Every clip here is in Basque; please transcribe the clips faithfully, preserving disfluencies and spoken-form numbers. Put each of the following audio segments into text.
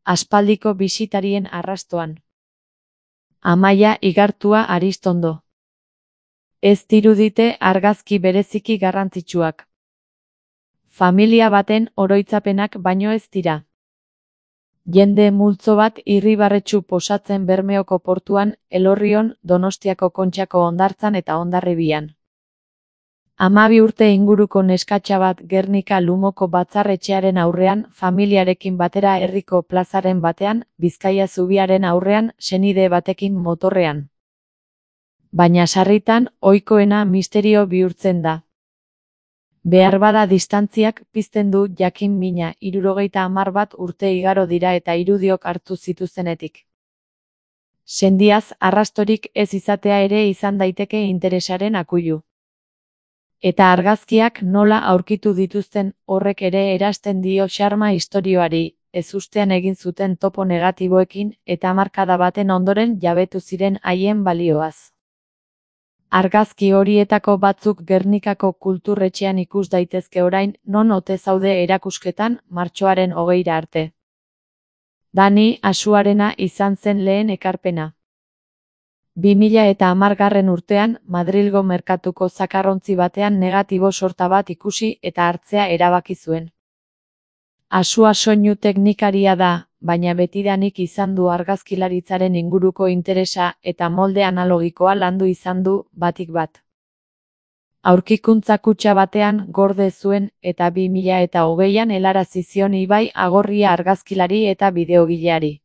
aspaldiko bisitarien arrastoan. Amaia igartua Aristondo. Ez dirudite argazki bereziki garrantzitsuak. Familia baten oroitzapenak baino ez dira. Jende multzo bat irribarretsu posatzen Bermeoko portuan, Elorrion, Donostiako Kontxako hondartzan eta Hondarribian. Hamabi urte inguruko neskatxa bat Gernika Lumoko batzarretxearen aurrean, familiarekin batera herriko plazaren batean, Bizkaia zubiaren aurrean, senide batekin motorrean. Baina sarritan, ohikoena misterio bihurtzen da. Beharbada distantziak pizten du jakin mina hirurogeita hamar bat urte igaro dira eta irudiok hartu zituztenetik. Sendiaz arrastorik ez izatea ere izan daiteke interesaren akuilu. Eta argazkiak nola aurkitu dituzten horrek ere erasten dio xarma istorioari, ezustean egin zuten topo negatiboekin eta hamarkada baten ondoren jabetu ziren haien balioaz. Argazki horietako batzuk Gernikako kulturretxean ikus daitezke orain, non ote zaude erakusketan, martxoaren hogeira arte. Dani Asuarena izan zen lehen ekarpena. bi mila eta hamargarren urtean, Madrilgo merkatuko zakarrontzi batean negatibo sorta bat ikusi eta hartzea erabaki zuen. Asua soinu teknikaria da, baina betidanik izan du argazkilaritzaren inguruko interesa eta molde analogikoa landu izan du batik bat. Aurkikuntza kutxa batean gorde zuen eta bi mila eta hogeian helarazi zion Ibai Agorria argazkilari eta bideogileari.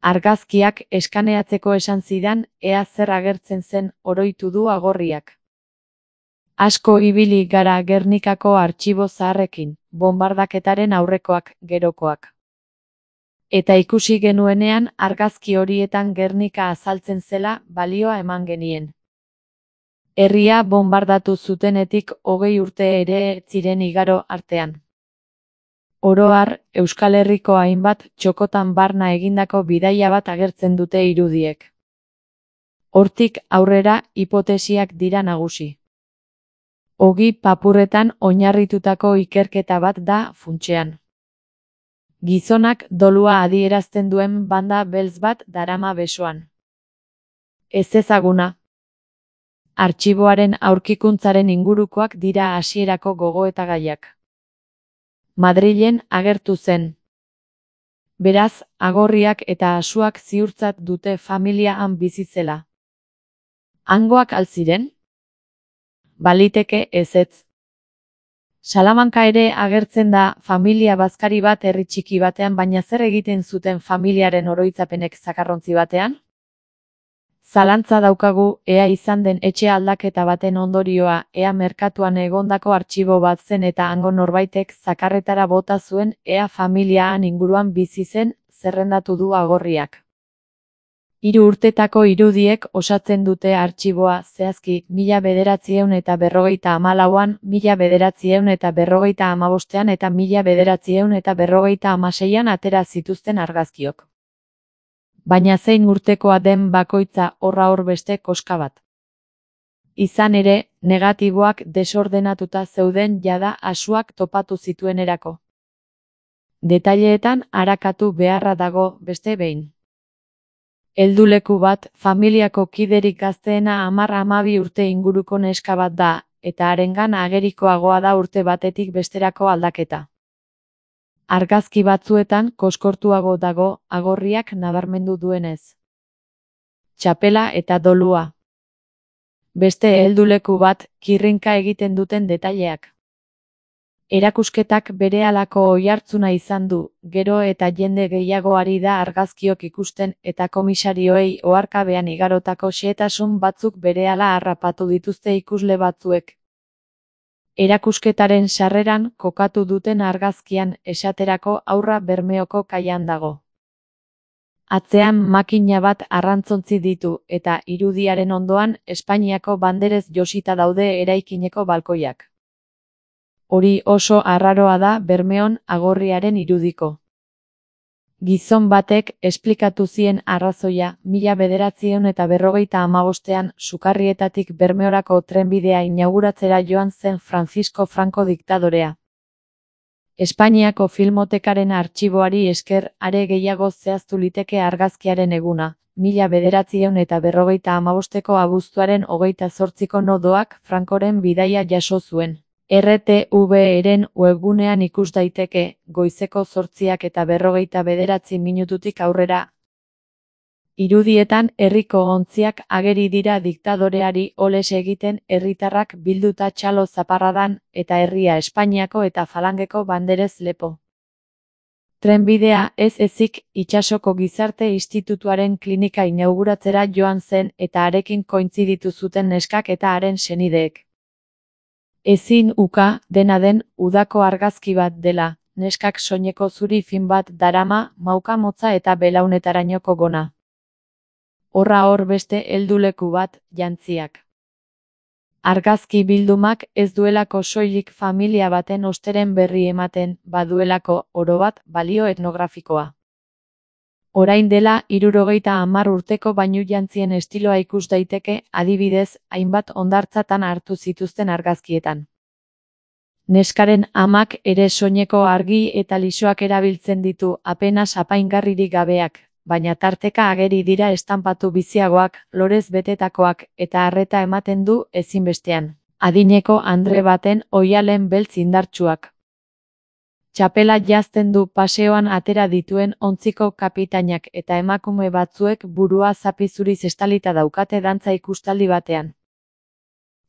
Argazkiak eskaneatzeko esan zidan, ea zer agertzen zen oroitu du Agorriak. Asko ibili gara Gernikako artxibo zaharrekin, bonbardaketaren aurrekoak, gerokoak. Eta ikusi genuenean argazki horietan Gernika azaltzen zela balioa eman genien. Herria bonbardatu zutenetik hogei urte ere ziren igaro artean. Oro har, Euskal Herriko hainbat txokotan barna egindako bidaia bat agertzen dute irudiek. Hortik aurrera hipotesiak dira nagusi. Ogi papurretan oinarritutako ikerketa bat da funtsean. Gizonak dolua adierazten duen banda beltz bat darama besoan. Ezezaguna. Artxiboaren aurkikuntzaren ingurukoak dira hasierako gogoetagaiak. Madrilen agertu zen. Beraz, Agorriak eta Asuak ziurtzat dute familia han bizi zela. Hangoak al ziren? Baliteke ezetz. Salamanka ere agertzen da familia bazkari bat herri txiki batean, baina zer egiten zuten familiaren oroitzapenek zakarrontzi batean? Zalantza daukagu, ea izan den etxe aldaketa baten ondorioa, ea merkatuan egondako artxibo bat zen eta hango norbaitek zakarretara bota zuen, ea familiaan inguruan bizi zen, zerrendatu du Agorriak. Hiru urtetako irudiek osatzen dute artxiboa, zehazki, mila bederatziehun eta berrogeita hamalauan, mila bederatziehun eta berrogeita hamabostean eta mila bederatziehun eta berrogeita hamaseian atera zituzten argazkiok. Baina zein urtekoa den bakoitza horra hor beste koska bat. Izan ere, negatiboak desordenatuta zeuden jada Asuak topatu zituenerako. Detaileetan arakatu beharra dago beste behin. Helduleku bat, familiako kiderik gazteena hamar hamabi urte inguruko neska bat da, eta harengan agerikoagoa da urte batetik besterako aldaketa. Argazki batzuetan koskortuago dago Agorriak nabarmendu duenez. Txapela eta dolua. Beste helduleku bat, kirrinka egiten duten detaileak. Erakusketak berehalako oihartzuna izan du, gero eta jende gehiago ari da argazkiok ikusten eta komisarioei oharkabean igarotako xehetasun batzuk berehala harrapatu dituzte ikusle batzuek. Erakusketaren sarreran kokatu duten argazkian esaterako Haurra Bermeoko kaian dago. Atzean makina bat arrantzontzi ditu eta irudiaren ondoan Espainiako banderez josita daude eraikineko balkoiak. Hori oso arraroa da Bermeon Agorriaren irudiko. Gizon batek esplikatu zien arrazoia mila bederatziehun eta berrogeita hamabostean Sukarrietatik Bermeorako trenbidea inauguratzera joan zen Francisco Franco diktadorea. Espainiako Filmotekaren artxiboari esker are gehiago zehaztu liteke argazkiaren eguna, mila bederatziehun eta berrogeita hamabosteko abuztuaren hogeita zortziko nodoak Francoren bidaia jaso zuen. R T V-ren webgunean ikus daiteke, goizeko zortziak eta berrogeita bederatzi minututik aurrera. Irudietan herriko ontziak ageri dira diktadoreari oles egiten herritarrak bilduta txalo zaparradan eta herria Espainiako eta Falangeko banderez lepo. Trenbidea ez ezik itsasoko gizarte institutuaren klinika inauguratzera joan zen eta harekin kointziditu zuten neskak eta haren senideek. Ezin uka, dena den, udako argazki bat dela, neskak soineko zuri fin bat darama, mauka motza eta belaunetarainoko gona. Horra hor beste helduleku bat, jantziak. Argazki bildumak ez duelako soilik familia baten osteren berri ematen, baduelako, orobat, balio etnografikoa. Orain dela, hirurogeita hamar urteko bainu jantzien estiloa ikus daiteke, adibidez, hainbat hondartzatan hartu zituzten argazkietan. Neskaren amak ere soineko argi eta lisoak erabiltzen ditu, apenas apaingarririk gabeak, baina tarteka ageri dira estanpatu biziagoak, lorez betetakoak, eta arreta ematen du ezinbestean. Adineko andre baten oihalen beltz indartsuak. Txapela jazten du paseoan atera dituen ontziko kapitainak eta emakume batzuek burua zapi zuriz estalita daukate dantza ikustaldi batean.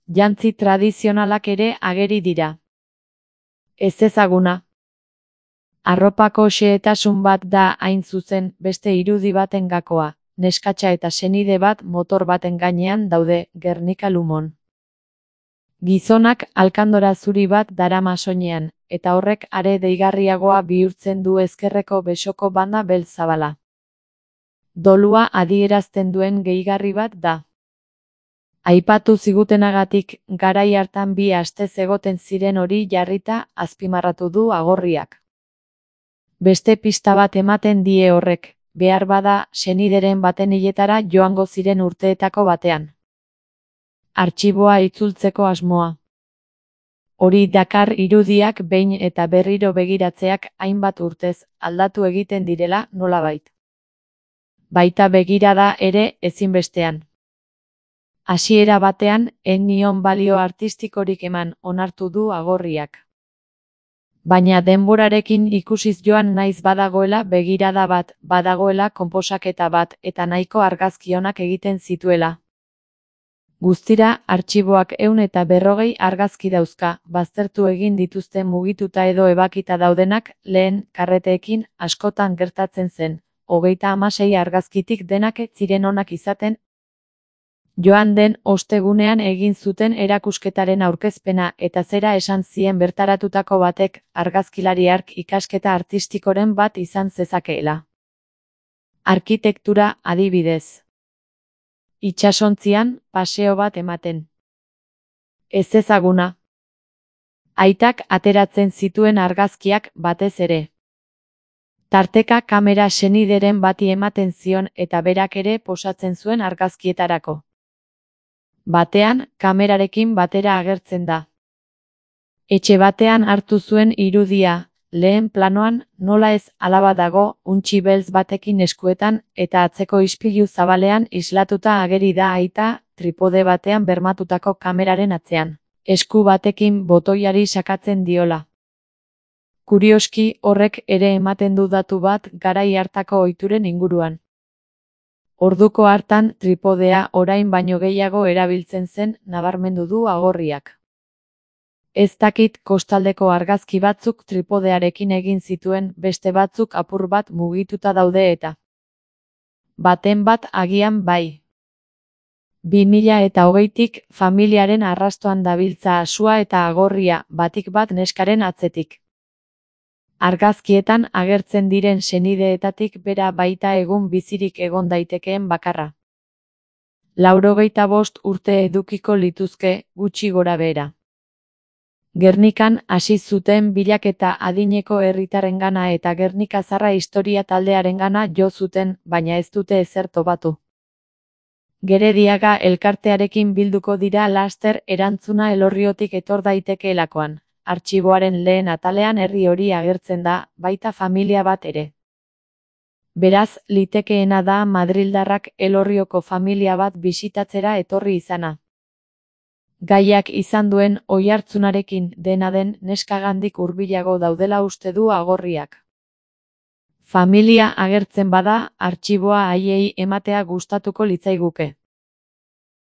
Jantzi tradizionalak ere ageri dira. Ez ezaguna. Arropako xehetasun bat da hain zuzen beste irudi baten gakoa, neskatxa eta senide bat motor baten gainean daude, Gernika Lumon. Gizonak alkandora zuri bat darama soinean, eta horrek are deigarriagoa bihurtzen du ezkerreko besoko banda beltz zabala. Dolua adierazten duen gehigarri bat da. Aipatu zigutenagatik, garai hartan bi astez egoten ziren hori jarrita azpimarratu du agorriak. Beste pista bat ematen die horrek, behar bada senideren baten hiletara joango ziren urteetako batean. Artxiboa itzultzeko asmoa. Hori dakar irudiak behin eta berriro begiratzeak hainbat urtez aldatu egiten direla nolabait. Baita begirada ere ezinbestean. Hasiera batean, ez nion balio artistikorik eman, onartu du agorriak. Baina denborarekin ikusiz joan naiz badagoela begirada bat, badagoela konposaketa bat eta nahiko argazki onak egiten zituela. Guztira, artxiboak ehun eta berrogei argazki dauzka, baztertu egin dituzte mugituta edo ebakita daudenak, lehen, karreteekin, askotan gertatzen zen, hogeita hamasei argazkitik denak ez ziren onak izaten. Joan den ostegunean egin zuten erakusketaren aurkezpena eta zera esan zien bertaratutako batek argazkilari hark ikasketa artistikoren bat izan zezakeela. Arkitektura adibidez. Itsasontzian, paseo bat ematen. Ez ezaguna. Aitak ateratzen zituen argazkiak batez ere. Tarteka kamera senideren bati ematen zion eta berak ere posatzen zuen argazkietarako. Batean, kamerarekin batera agertzen da. Etxe batean hartu zuen irudia, lehen planoan, nola ez alaba dago, untxi beltz batekin eskuetan, eta atzeko ispilu zabalean islatuta ageri da aita, tripode batean bermatutako kameraren atzean, esku batekin botoiari sakatzen diola. Kurioski, horrek ere ematen du datu bat garai hartako ohituren inguruan. Orduko hartan tripodea orain baino gehiago erabiltzen zen nabarmendu du agorriak. Ez dakit kostaldeko argazki batzuk tripodearekin egin zituen beste batzuk apur bat mugituta daude eta. Baten bat agian bai. bi mila eta hogeitik familiaren arrastoan dabiltza asua eta agorria batik bat neskaren atzetik. Argazkietan agertzen diren senideetatik bera baita egun bizirik egon daitekeen bakarra. Laurogeita bost urte edukiko lituzke, gutxi gora behera. Gernikan hasi zuten bilaketa adineko herritarrengana eta Gernika Zarra historia taldearengana jo zuten, baina ez dute ezer topatu. Gerediaga elkartearekin bilduko dira laster erantzuna Elorriotik etor daitekeelakoan. artxiboaren lehen atalean herri hori agertzen da, baita familia bat ere. Beraz, litekeena da madrildarrak Elorrioko familia bat bisitatzera etorri izana. Gaiak izan duen oihartzunarekin, dena den, neskagandik hurbilago daudela uste du agorriak. Familia agertzen bada, artxiboa haiei ematea gustatuko litzaiguke.